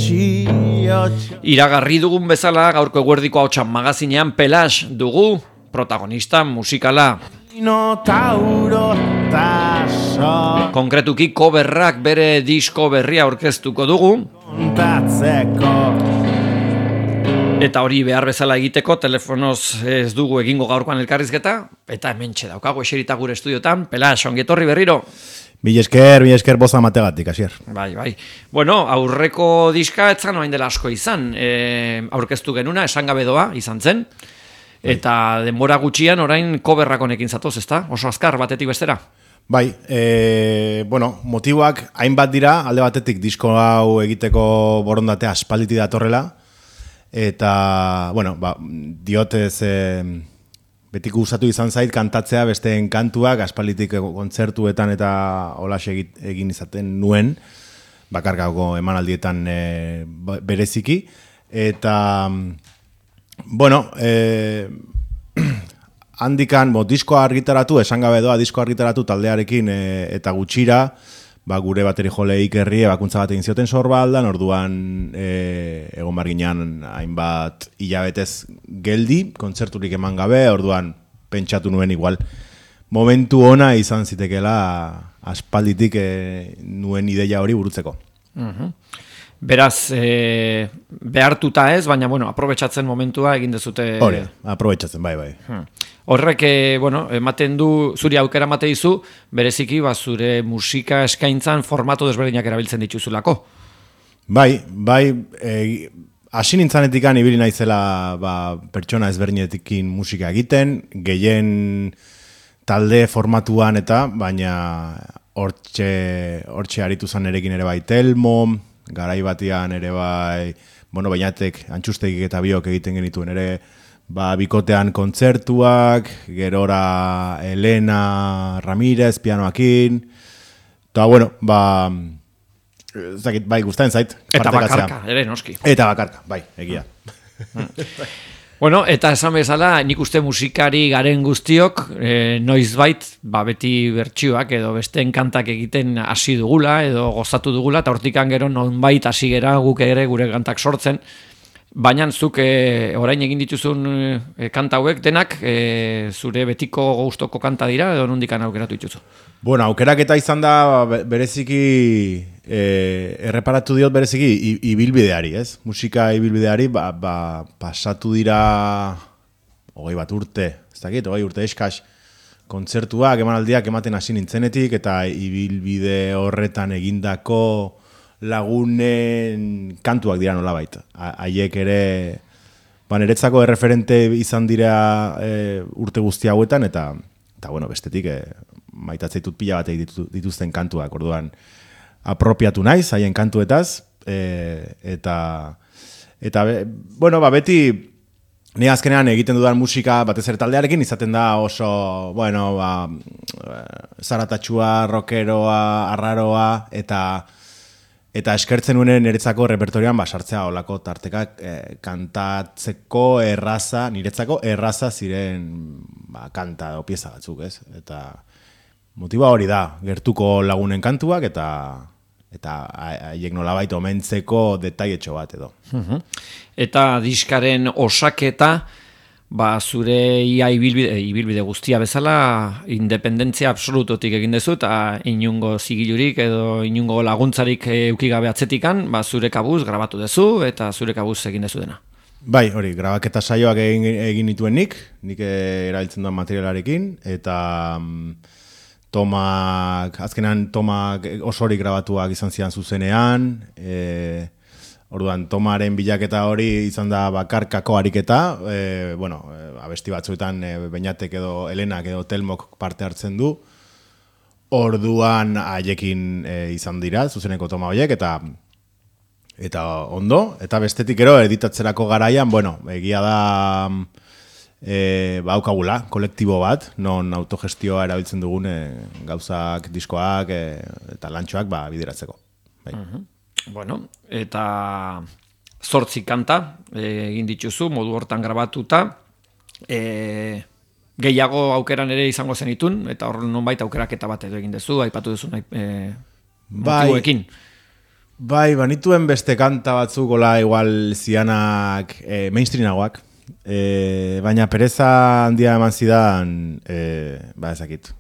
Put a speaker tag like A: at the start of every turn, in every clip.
A: Iragarri dugun bezala gaurko eguerdiko hautsan magazinean Pelash dugu protagonista musikala. Konkretuki coverrak bere disko berria aurkeztuko dugu. Eta hori behar bezala egiteko telefonoz ez dugu egingo gaurkoan elkarrizketa. Eta hementxe daukago eserita gure estudiotan. Pelash, ongi etorri berriro.
B: Mila esker boza mategatik, Asier.
A: Bai. Bueno, aurreko diska etzan orain dela asko izan. Aurkeztu genuna, esan gabe doa izan zen. Eta denbora gutxian orain coverrak honekin zatoz, ezta? Oso azkar batetik bestera.
B: Bai, motiboak hainbat dira, alde batetik disko hau egiteko borondatea aspalditik datorrela. Eta, diotez betiko gustatu izan zait kantatzea besteen kantuak, aspalditik kontzertuetan eta holaxe egin izaten nuen, bakarkako emanaldietan bereziki. Eta, handikan, diskoa argitaratu, esan gabe doa diskoa argitaratu taldearekin eta gutxira, gure bateri jole ikerri ebakuntza bat egin zioten Sorbaldan, orduan egon barginan hainbat hilabetez geldi, kontzerturik eman gabe, orduan pentsatu nuen igual. Momentu ona izan zitekela aspalditik nuen ideia hori burutzeko.
A: Beraz, behartuta ez, baina, aprobetxatzen momentua egin dezute...
B: Hori, aprobetxatzen, bai.
A: Horrek, ematen du, zuri aukera emate dizu, bereziki, zure musika eskaintzan formato desberdinak erabiltzen dituzulako. Bai,
B: hasi nintzanetikan ibili naizela pertsona ezberdinetikin musika egiten, gehien talde formatuan eta, baina hortxe aritu zan erekin ere bai Telmo, garai batian ere bai, bainatek antxustegik eta biok egiten genituen ere, bikotean kontzertuak, gerora Elena Ramirez pianoakin, eta bai, gustatzen zait.
A: Eta bakarka, ere noski.
B: Eta bakarka, bai, egia.
A: Eta esan bezala, nik uste musikari garen guztiok, noizbait, beti bertsioak edo besteen kantak egiten hasi dugula, edo gozatu dugula, eta hortikan gero nonbait hasi gera guk ere gure kantak sortzen. Baina zuk orain egin dituzun kanta hauek denak zure betiko gustoko kanta dira edo nondikan aukeratu dituzu?
B: Aukerak eta izan da bereziki erreparatu diot bereziki ibilbideari, ez? Musika ibilbideari pasatu dira 20 urte, ez dakit, 20 urte eskas kontzertuak, emanaldiak ematen hasi nintzenetik eta ibilbide horretan egindako lagunen kantuak dira nolabait. Haiek ere niretzako erreferente izan dira urte guzti hauetan eta bestetik maitatzeit pila bat dituzten kantuak, orduan apropiatu naiz haien kantuetaz eta beti ni azkenean egiten dudan musika batez ere taldearekin izaten da oso zaratatxua, rockeroa, arraroa eta eskertzen nuen niretzako repertorioan sartzea olako tartekak kantatzeko niretzako erraza ziren kanta o pieza batzuk, ez? Eta motiba hori da, gertuko lagunen kantuak eta haiek nolabait omentzeko detailetxo bat edo.
A: Eta diskaren osaketa, zure ia ibilbide guztia bezala, independentzia absolutotik egin dezu, eta inungo zigilurik edo inungo laguntzarik eukigabe atzetikan, zure kabuz grabatu dezu, eta zure kabuz egin dezu dena.
B: Bai, hori, grabaketa saioak egin nituen nik erabiltzen duan materialarekin, eta azkenan tomak osorik grabatuak izan zidan zuzenean, orduan, tomaren bilaketa hori izan da bakarkako ariketa, abesti batzuetan Beñatek edo Elenak edo Telmok parte hartzen du, orduan haiekin izan dira, zuzeneko toma horiek, eta ondo, eta bestetik ero editatzerako garaian, egia da haukagula, kolektibo bat, non autogestioa erabiltzen dugun gauzak, diskoak eta lantxoak bideratzeko.
A: Eta 8 kanta egin dituzu, modu hortan grabatuta, gehiago aukeran ere izango zenitun, eta hor nonbait aukeraketa bat edo egin duzu, aipatu duzu motiboekin.
B: Bai, banituen beste kanta batzuk, gola igual zianak mainstreamagoak, baina pereza handia eman zidan, ezakit,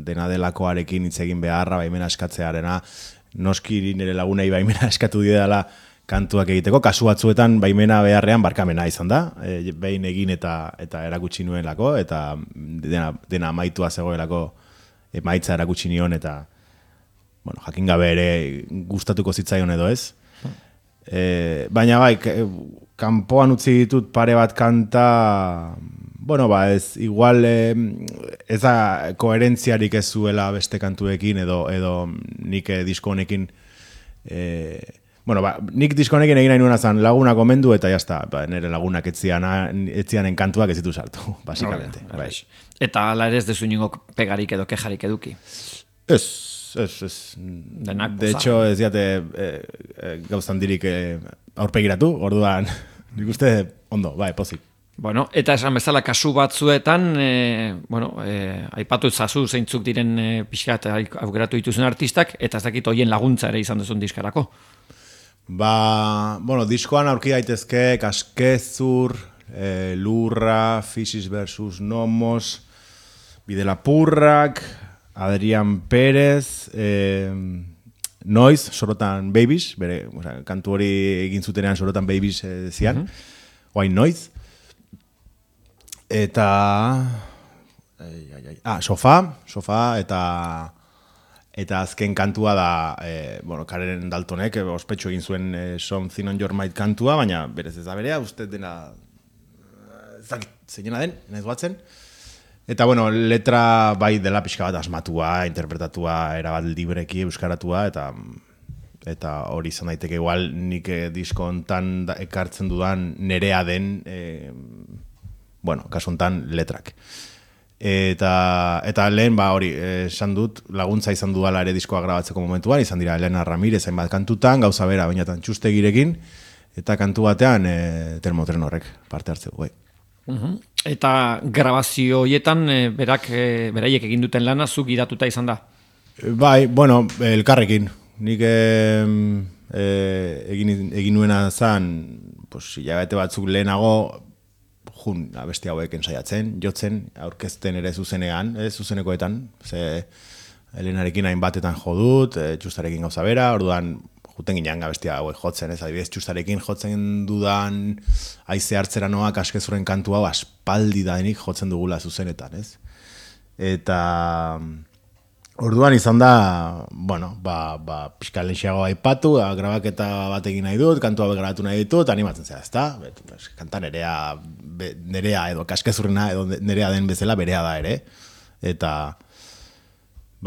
B: dena delakoarekin hitz egin beharra, baimena eskatzearena, noski nire lagunei baimena eskatu didala kantuak egiteko, kasu batzuetan baimena beharrean barkamena izan da, behin egin eta erakutsi nuelako, eta dena amaitua zegoelako emaitza erakutsi nion, eta bueno, jakin gabe ere gustatuko zitzaion edo ez. Baina bai, kanpoan utzi ditut pare bat kanta, bueno, ez, igual ez da koherentziarik ez zuela beste kantuekin edo nik disko honekin, bueno, nik disko honekin egin nahi nuena zan laguna komendu eta jazta, nire lagunak etzianen kantuak ez ditu sartu, basikamente. Bai.
A: Eta ala ere ez dezu ningo pegarik edo kejarik eduki?
B: Ez. De hecho, ez diate gauzan dirik aurpegiratu, orduan nik uste ondo, bai, pozik.
A: Bueno, eta esan bezala kasu batzuetan, aipatu zazu zeintzuk diren pixkat aukeratu dituzun artistak, eta ez dakit hoien laguntza ere izan duzun diskarako.
B: Bueno, diskoan aurki daitezke Kaskezur, Lurra, Fisis versus Nomos, Bidelapurrak, Adrián Pérez, Noiz, Sorotan Babies, bere, kantu hori egin zutenean Sorotan Babies zian, oain Noiz. Eta Sofa eta azken kantua da Karen Daltonek ospetsu egin zuen Something on Your Mind kantua, baina berez ez da berea, uste dena zeinena den, nahiz batzen. Eta bueno, letra bai dela pixka bat asmatua, interpretatua, erabat libreki euskaratua, eta hori izan daiteke igual nik disko hontan ekartzen dudan nerea den, kasu hontan letrak. Eta lehen hori esan dut, laguntza izan dudala ere diskoa grabatzeko momentuan, izan dira Elena Ramirez hainbat kantutan, gauza bera, bainatan txustegirekin, eta kantu batean termotren horrek parte hartzeko, bai.
A: Eta grabazio horietan beraiek egin duten lana zuk gidatuta izan da?
B: Bai, elkarrekin. Nik egin nuena zan, hilabete batzuk lehenago abesti hauek ensaiatzen, jotzen, aurkezten ere zuzenekoetan, ze Elenarekin hainbatetan jodut, txustarekin gauza bera, orduan juten ginean abestia hauek jotzen, ez adibidez txustarekin jotzen dudan haize hartzera noak Kaskezuren kantu hau aspaldi danik jotzen dugula zuzenetan, ez? Eta orduan izan da, pixka lehenxiago aipatu, grabaketa bat egin nahi dut, kantu hauek grabatu nahi ditut, animatzen zera, ezta? Kanta nerea edo Kaskezurrena edo nerea den bezala berea da ere, eta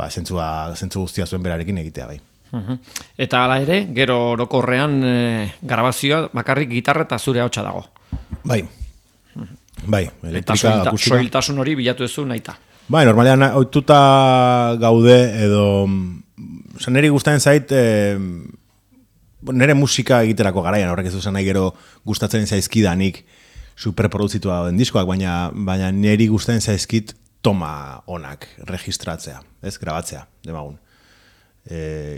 B: zentzu guztia zuen berarekin egitea bai.
A: Eta hala ere, gero orokorrean grabazioa bakarrik gitarra eta zure ahotsa dago.
B: Bai, elektrika,
A: eta
B: akustika.
A: soiltasun hori bilatu duzu nahita.
B: Bai, normalean ohituta gaude edo niri gustatzen zait nire musika egiterako garaian, horrek ez duzen nahi gero gustatzen zaizkidanik superproduzitua den diskoak, baina niri gustatzen zaizkit toma onak registratzea, ez grabatzea, demagun.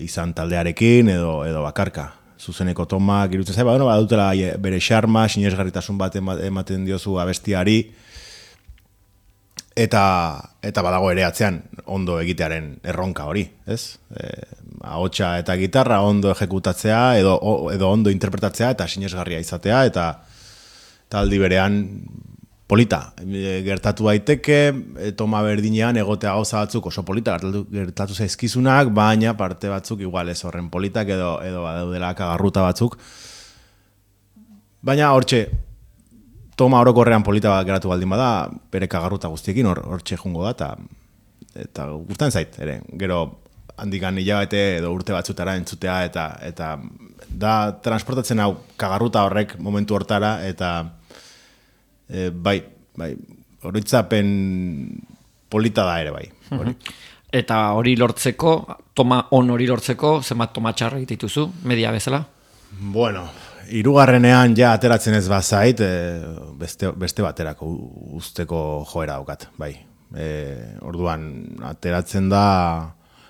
B: Izan taldearekin edo bakarka. Zuzeneko tomak irutzen zait, badutela bere xarma, sinesgarritasun bat ematen diozu abestiari, eta badago ere atzean ondo egitearen erronka hori, ez? Ahotsa eta gitarra ondo ejekutatzea edo ondo interpretatzea eta sinesgarria izatea, eta aldi berean polita, gertatu daiteke, toma berdinean egotea gauza batzuk oso polita gertatu zaizkizunak, baina parte batzuk igual ez horren politak edo badaudela kagarruta batzuk. Baina hortxe, toma orokorrean polita bat geratu baldin bada, bere kagarruta guztiekin hortxe jungo da, eta gustatzen zait, ere, gero handikan hilabete edo urte batzutara entzutea, eta da transportatzen hau kagarruta horrek momentu hortara, eta bai, horitzapen polita da ere, bai.
A: Eta hori lortzeko, toma on hori lortzeko, zenbat toma txarra dituzu, media bezala?
B: Bueno, hirugarrenean ja ateratzen ez bazait, beste baterako usteko joera daukat, bai. Orduan, ateratzen da,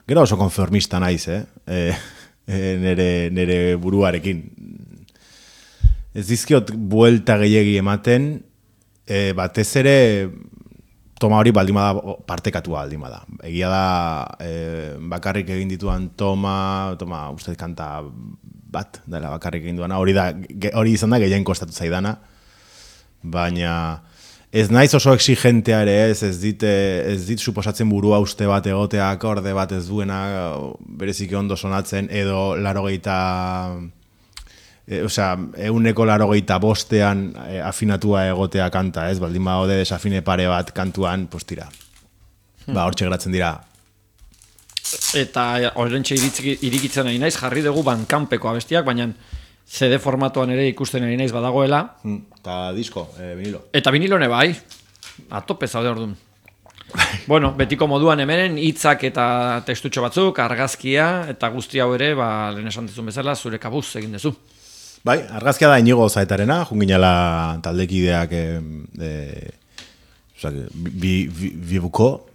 B: gero oso konformista naiz, nere buruarekin. Ez dizkiot buelta gehiegi ematen, batez ere toma hori baldin bada partekatua baldin bada. Egia da bakarrik egin dituan toma uste kanta bat dela bakarrik egin duana, hori izan da gehien kostatu zaidana, baina ez naiz oso exigentea ere ez dit suposatzen burua uste bat egotea akorde bat ez duena bereziki ondo sonatzen edo 185ean afinatua egotea kanta, ez? Baldin badaude desafine pare bat kantuan, pues tira. Hortxe geratzen dira.
A: Eta horrentxe irikitzen nahi naiz, jarri dugu Bandcampeko abestiak, baina CD formatuan ere ikusten nahi naiz badagoela.
B: Eta disko, vinilo.
A: Eta vinilone bai, atope zaude orduan. Bueno, betiko moduan hemenen hitzak eta tekstutxo batzuk, argazkia eta guzti hau ere, lehen esan dizun bezala, zure kabuz egin dezu.
B: Bai, argazkia da Inigo Zaetarena, junginala taldekideak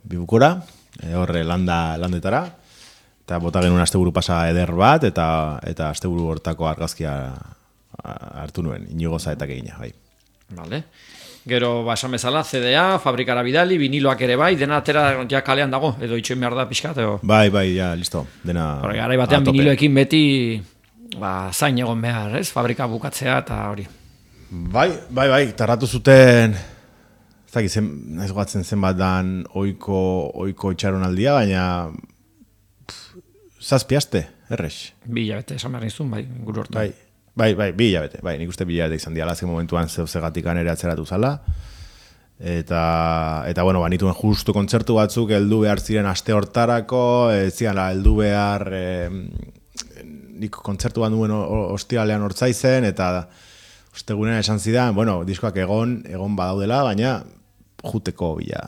B: bibukora, horre landetara, eta bota genuen asteburu pasa eder bat, eta asteburu hortako argazkia hartu nuen, Inigo Zaetak egina, bai.
A: Vale. Gero, esan bezala, CDA, fabrikara bidali, viniloak ere bai, dena atera ja kalean dago, edo itxoin behar da pixkat, edo?
B: Bai, ja, listo, dena
A: garai batean viniloekin beti zain egon behar, ez? Fabrika bukatzea eta hori.
B: Bai, tarratu zuten, naiz gogatzen zenbat dan oiko itxaronaldia, baina zazpi aste, errex.
A: 2 hilabete, esan behar nizun, bai, guru hortu.
B: Bai, 2 hilabete, bai, nik uste 2 hilabete izan diala, azken momentuan zeugzegatikan ere atzeratu zala, eta bueno, banituen justu kontzertu batzuk heldu behar ziren aste hortarako, zian heldu behar nik kontzertu bat duen ostialean hortzaizen, eta ostegunean esan zidan, bueno, diskoak egon badaudela, baina juteko bila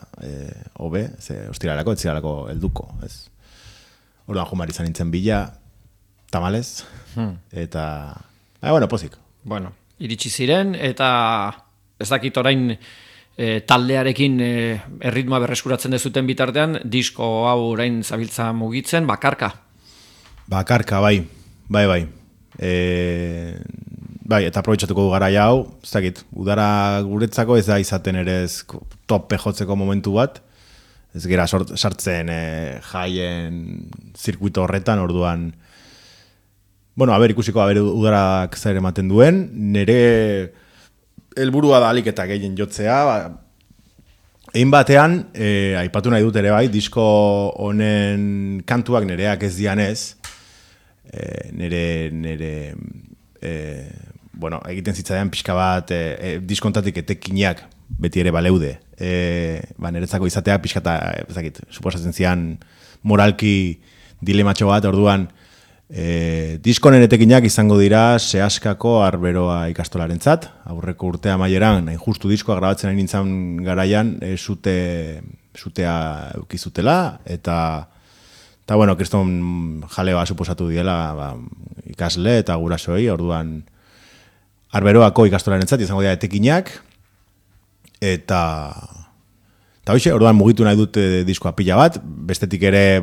B: hobe, ze ostialerako, etzialako helduko, ez? Orduan jumar izan nintzen bila, tamalez, eta bueno, pozik.
A: Bueno, iritsi ziren, eta ez dakit orain taldearekin erritmoa berreskuratzen dezuten bitartean, disko hau orain zabiltza mugitzen, bakarka.
B: Bakarka, bai. Eta aprobetxatuko du garaia hau, ez dakit, udara guretzako ez da izaten ere tope jotzeko momentu bat, ez gera sartzen jaien zirkuito horretan, orduan, bueno, ikusiko, udarak zer ematen duen, nire helburua da alik eta gehien jotzea, egin batean, aipatu nahi dut ere bai, disko honen kantuak nireak ez dianez, bueno, egiten zitzaidan pixka bat diskontatik etekinak beti ere baleude. Niretzako izatea pixka eta, suposatzen zian moralki dilematxo bat, orduan, diskonen etekinak izango dira Seaskako Arberoa ikastolarentzat, aurreko urtea maieran, hain justu diskoa grabatzen hain nintzen garaian, sutea eukizutela, eta bueno, kriston jalea suposatu diela ikasle eta gurasoei, orduan Arberoako ikastolarentzat izango dira etekinak, eta hoxe, orduan mugitu nahi dute diskoa pila bat, bestetik ere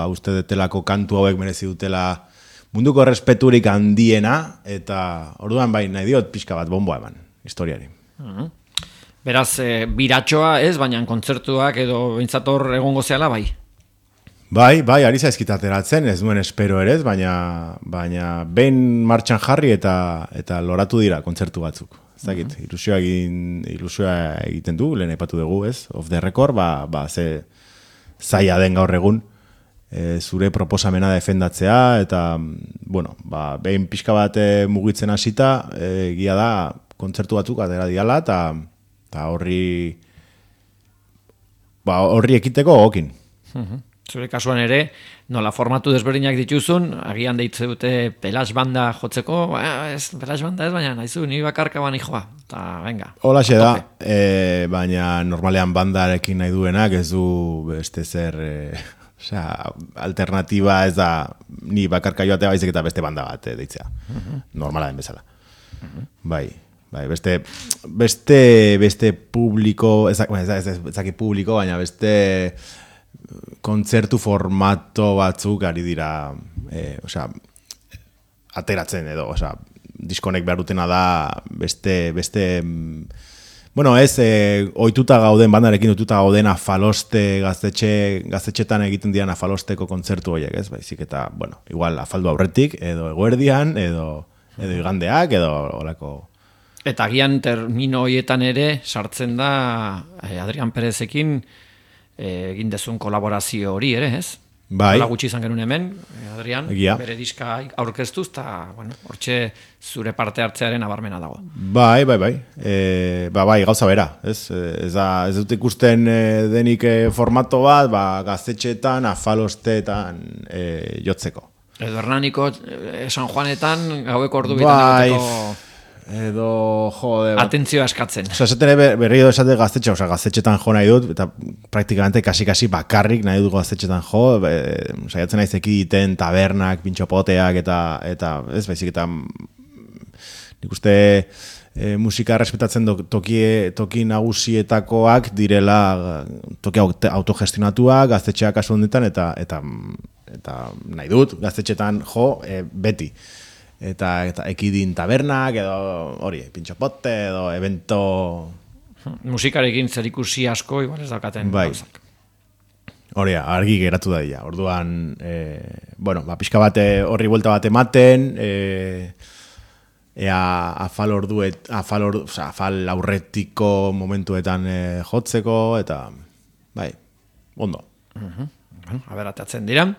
B: uste detelako kantu hauek merezi dutela munduko respeturik handiena, eta orduan nahi diot pixka bat bomboa eman, historiari.
A: Beraz, biratxoa ez, baina kontzertuak edo bintzator egongo zehala, bai?
B: Bai, ari zaizkit ateratzen, ez duen espero ere ez, baina behin martxan jarri eta loratu dira kontzertu batzuk. Ez dakit, ilusioa egiten du, lehen aipatu dugu, ez? Off the record, ze zaila den gaur egun, zure proposamena defendatzea, eta, bueno, behin pixka bat mugitzen hasita, egia da, kontzertu batzuk atera diala, eta horri ekiteko gokin.
A: Zure kasuan ere, nola formatu desberdinak dituzun, agian deitze dute pelas banda jotzeko, pelas banda ez, baina nahizu, ni bakarka bani joa, eta venga.
B: Holaxe da, baina normalean bandarekin nahi duenak ez du beste zer, alternatiba ez da, ni bakarka joatea baizik eta beste banda bat deitzea, normala den bezala. Bai, beste publiko, ezaki publiko, baina beste kontzertu formato batzuk ari dira, ateratzen edo, diskonek behar dutena da beste bueno, ez, ohituta gauden, bandarekin ohituta gauden afaloste gaztetxetan egiten dian afalosteko kontzertu horiek, ez? Baizik eta, bueno, igual afaldu aurretik, edo eguerdian, edo igandeak, edo olako.
A: Eta agian termino horietan ere sartzen da Adrian Perezekin egin dezun kolaborazio hori ere, ez?
B: Bai.
A: Hola gutxi izan genuen hemen, Adrian,
B: Egia.
A: bere diska aurkeztuz, eta, bueno, hortxe zure parte hartzearen abarmena dago.
B: Bai. Bai, gauza bera, ez? Ez dut ikusten denik formato bat, gaztetxeetan, afalosteetan jotzeko.
A: Edo Hernaniko San Juanetan gaueko ordu bitan egoteko
B: edo, jode...
A: atentzioa eskatzen.
B: Esaten berri edo esate gaztetxe, gaztetxetan jo nahi dut, eta praktikamente kasi bakarrik nahi dut gaztetxetan jo, saiatzen naiz ekiditen tabernak, pintxopoteak, eta ez baizik, eta nik uste musika respetatzen toki nagusietakoak direla toki autogestionatuak, gaztetxeak kasu honetan, eta nahi dut gaztetxetan jo beti. Eta ekidin tabernak, edo hori, pintxopote, edo evento...
A: Musikarekin zerikusi asko, igual ez daukaten.
B: Bai. Hori, argi geratu da dira. Orduan, pixka bat horri buelta bat ematen, afal aurretiko momentuetan jotzeko, eta, bai, ondo.
A: Bueno, aberatzen dira.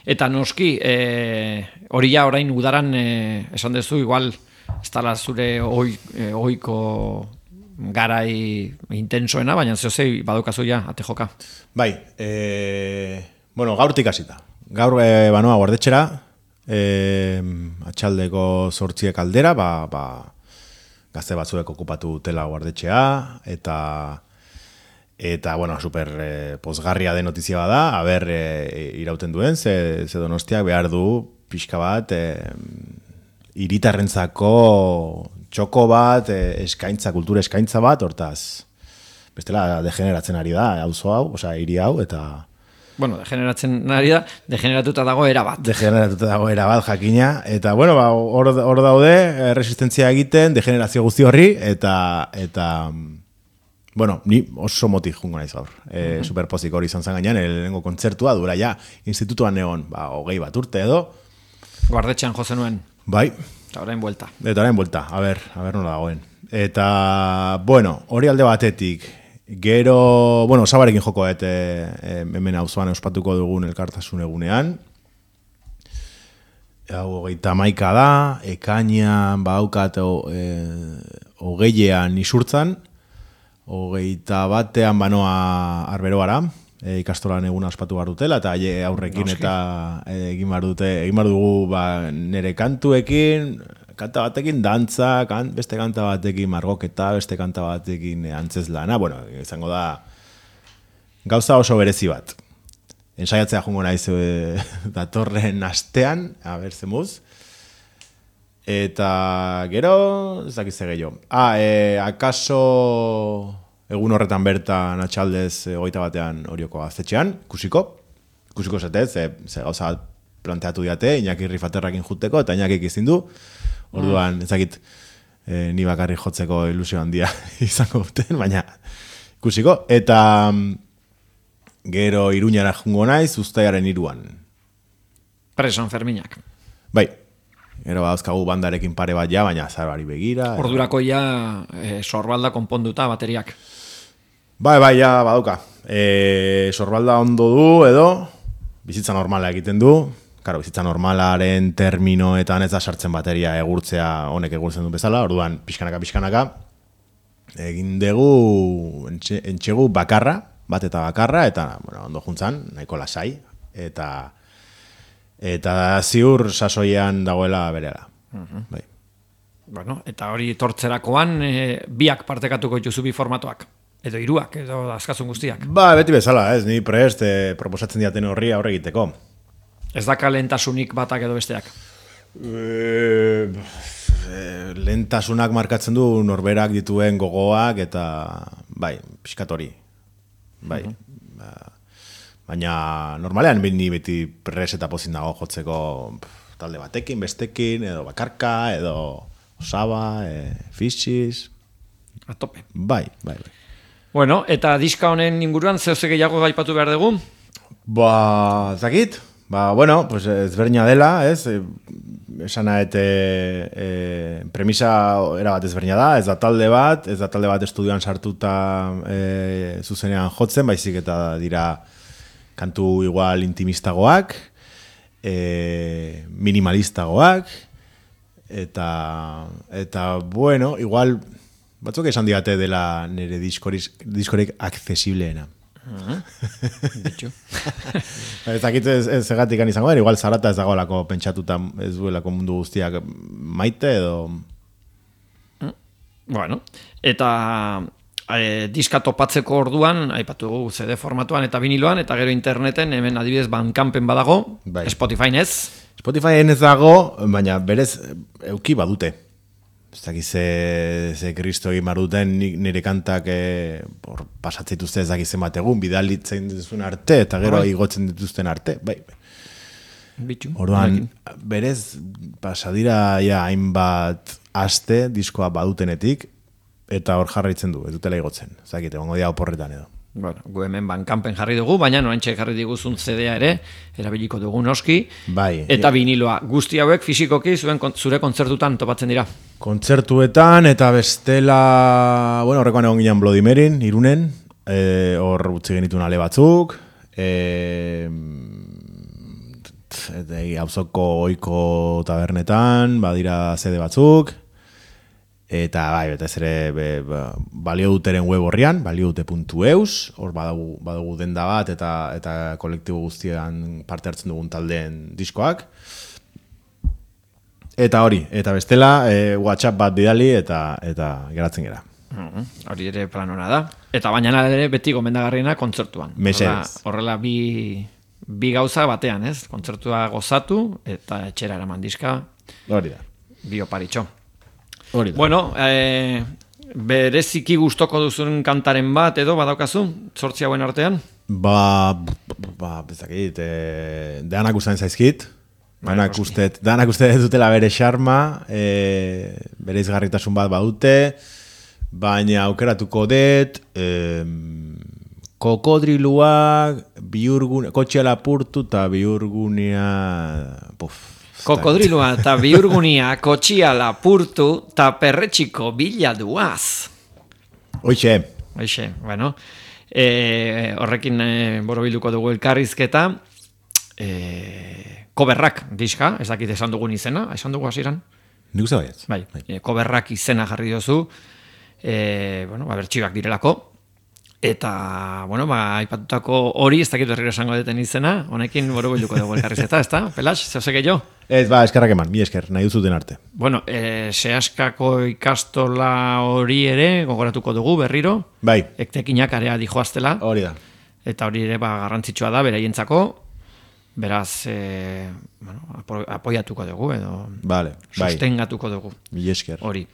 A: Eta noski, hori ja orain udaran esan dezu, igual, ez dala zure oiko garai intensoena, baina zehozei badukazu ja, ate joka.
B: Bai, gaurtik hasita. Gaur banoa guardetxera, atxaldeko 8 aldera, gazte batzuek okupatu dutela guardetxea, eta super pozgarria den notizia bada, irauten duen, ze Donostiak behar du pixka bat, hiritarrentzako txoko bat, kultura eskaintza bat, hortaz, bestela degeneratzen ari da, auzo hau, hiri hau, eta...
A: Bueno, degeneratzen ari da, degeneratuta dago erabat.
B: Degeneratuta dago erabat, jakina, eta, hor daude, resistentzia egiten, degenerazio guzti horri, eta ni oso motik jungo naiz gaur. Superpozik hori izan zen gainean, lehenengo kontzertua, dura ja, institutuan egon, 20 bat urte edo.
A: Guardetxean jo zenuen.
B: Bai.
A: Eta orain buelta.
B: A ber nola dagoen. Eta, hori alde batetik, gero, Osabarekin joko, hemen auzoan ospatuko dugun elkartasun egunean. Hau 31 da, ekainean badaukat 20ean Isurtzan, 21ean banoa Arberoara, ikastolan eguna ospatu behar dutela, eta aurrekin eta egin behar dugu nire kantuekin, kanta batekin dantza, beste kanta batekin margoketa, beste kanta batekin antzezlana, izango da gauza oso berezi bat. Ensaiatzea jungo naiz datorren astean, zemuz. Eta gero, ez dakiz gehiago. Akaso egun horretan bertan atxaldez 21ean Orioko gaztetxean, ikusiko zetez, ze gauza bat planteatu diate, Iñaki Rifaterrakin juteko, eta Iñakik izin du. Orduan, ez dakit ni bakarrik jotzeko ilusio handia izango duten, baina ikusiko. Eta gero Iruñara jungo naiz, Uztailaren 3.
A: Preson Ferminak.
B: Bai. Gero badauzkagu bandarekin pare bat ja, baina zarari begira.
A: Ordurako ja sorbalda konponduta bateriak.
B: Bai, ja badauka. Sorbalda ondo du edo, bizitza normala egiten du. Karo, bizitza normalaren terminoetan ez da sartzen bateria honek egurtzen du bezala, orduan pixkanaka. Egin dugu entxegu bakarra, bat eta bakarra, eta ondo juntzan, nahiko lasai, eta ziur sasoian dagoela berela. Bai.
A: Eta hori tortzerakoan biak partekatuko dituzu bi formatoak, edo 3, edo askazun guztiak.
B: Beti bezala, ez, ni prest proposatzen diaten horri aurre egiteko.
A: Ez da kalentasunik batak edo besteak?
B: Lehentasunak markatzen du norberak dituen gogoak, eta bai, pixkat hori. Bai. Baina normalean ni beti pres eta pozin dago jotzeko talde batekin, bestekin, edo bakarka, edo osaba, fischiz.
A: A tope.
B: Bai.
A: Bueno, eta diska honen inguruan zehose gehiago gaipatu behar dugu?
B: Zakit? Bueno, pues ezberdina dela, ez? Esana premisa erabat ezberdina da, ez da talde bat estudioan sartuta zuzenean jotzen, baizik eta dira kantu igual intimistagoak, minimalistagoak, eta bueno, igual batzuk esan digate dela nire diskorik accesibleena.
A: Bitxu.
B: Ez dakit ez egatik izango den, igual zarata ez dagoelako pentsatuta ez duelako mundu guztiak maite edo...
A: Bueno, eta diska topatzeko orduan, aipatu dugu CD formatuan eta viniloan, eta gero interneten, hemen adibidez Bandcampen badago, bai. Spotifyn ez?
B: Spotifyn ez dago, baina berez euki badute. Ez dakit ze kristo egin baruten nire kantak pasatzituzte ez dakit zenbat egun, bidalitzen dituzten arte, eta gero igotzen dituzten arte, bai.
A: Bitxu.
B: Orduan, berez pasadira hainbat aste diskoa badutenetik, eta hor jarraitzen du, ez dutela igotzen. Ez dakit, egongo dia oporretan edo.
A: Bueno, gu hemen Bandcampen jarri dugu, baina noentxe jarri diguzun CD-a ere, erabiliko dugu noski,
B: bai,
A: eta viniloa. Guzti hauek fisikoki zure kontzertutan topatzen dira.
B: Kontzertuetan eta bestela, bueno, horrekoan egon ginen Bloody Maryn, Irunen, hor utzi genituen ale batzuk, auzoko ohiko tabernetan, badira CD batzuk, eta bai, eta ez ere balio duteren web horrian, baliodute.eus, hor badugu denda bat eta kolektibo guztian parte hartzen dugun taldeen diskoak. Eta hori, eta bestela, WhatsApp bat bidali eta geratzen gera.
A: Hori ere plan hona da. Eta baina ere beti gomendagarriena kontzertuan.
B: Mesedez.
A: Horrela bi gauza batean, ez? Kontzertua gozatu eta etxera eraman diska.
B: Hori da.
A: Bi oparitxo.
B: Hori da.
A: Bueno, bereziki gustoko duzun kantaren bat edo badaukazu, 8 hauen artean?
B: Bezakit, deanak ustean zaizkit, danak uste dutela bere xarma, bere izgarritasun bat badute, baina aukeratuko dut, kokodriluak, kotxea lapurtu eta bihurgunea...
A: Kokodrilua eta bihurgunia kotxia lapurtu eta perretxiko bila duaz.
B: Hoixe,
A: bueno. Horrekin borobilduko dugu elkarrizketa. Koberrak diska, ez dakit esan dugun izena, esan dugu hasieran?
B: Nik uste baietz.
A: Bai, koberrak izena jarri dozu, bertxibak direlako. Eta, aipatutako hori, ez dakit berriro esango deten izena, honekin borobilduko dugu elkarrizketa, ez da? Pelax, zehose gehiago?
B: Ez, eskerrak eman, mi esker, nahi duzuten arte.
A: Bueno, Seaskako ikastola hori ere, gogoratuko dugu berriro.
B: Bai.
A: Ektekinak area dijoaztela.
B: Hori da.
A: Eta hori ere garrantzitsua da, beraientzako. Beraz, apoiatuko dugu, edo sostengatuko dugu.
B: Mi esker.
A: Hori.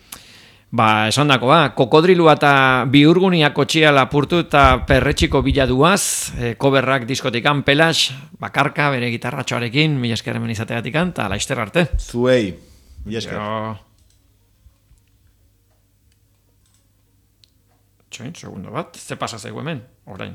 A: Esan dako, kokodrilua eta bihurgunia kotxia lapurtu eta perretxiko bila duaz, koberrak diskotikan, Pelax, bakarka, bere gitarratxoarekin, mila esker hemen izateatikan, eta laizter arte.
B: Zuei, mila esker.
A: Txoin, segundo bat, ze pasa zaigu hemen, orain.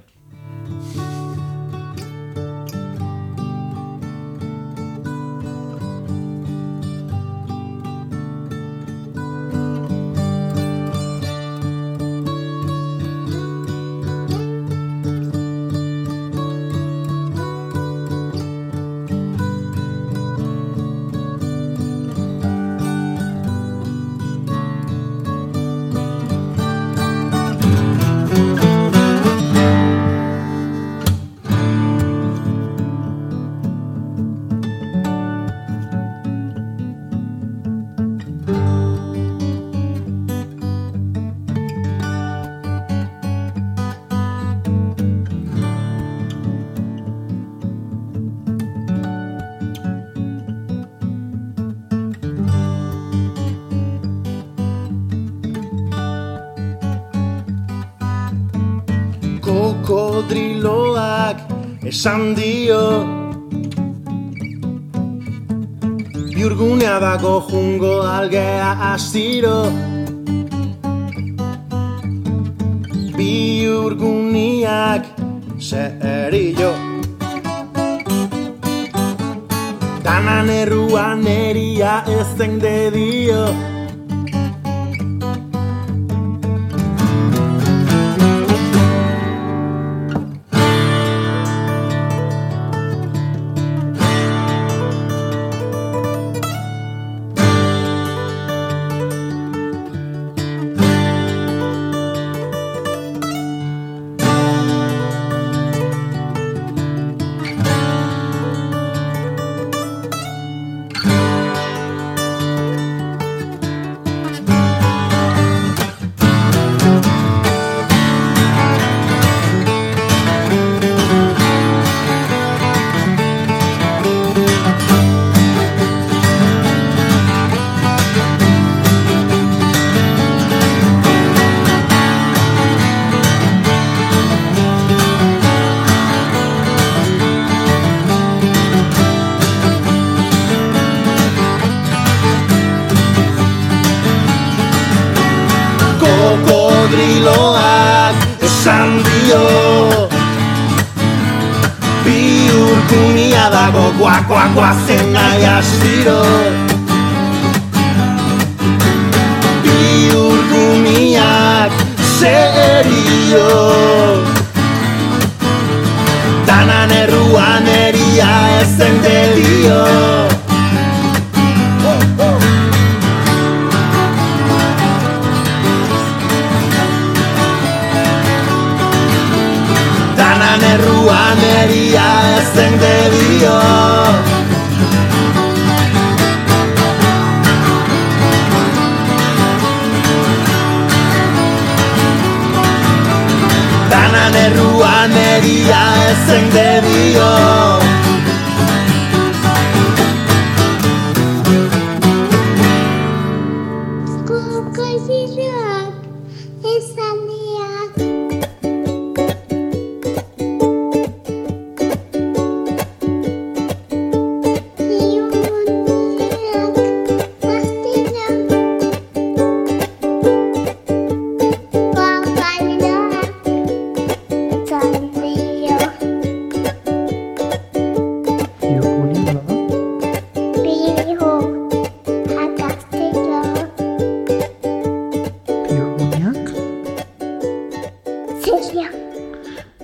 B: Kokodriloak esan dio. Biurgunea dago jungo algea astiro. Biurguniak serio. Danan erruan eria ezen de dio. Kokodriloak esan dio. Biurgunia dago guazen nahi astiro. Biurguniak serio. Danan erruan eria ezen de dio. Erruan eria ezen de dio. Danan erruan eria ezen de dio.
C: Kokodriloak esan dio.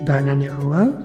D: Danan erruan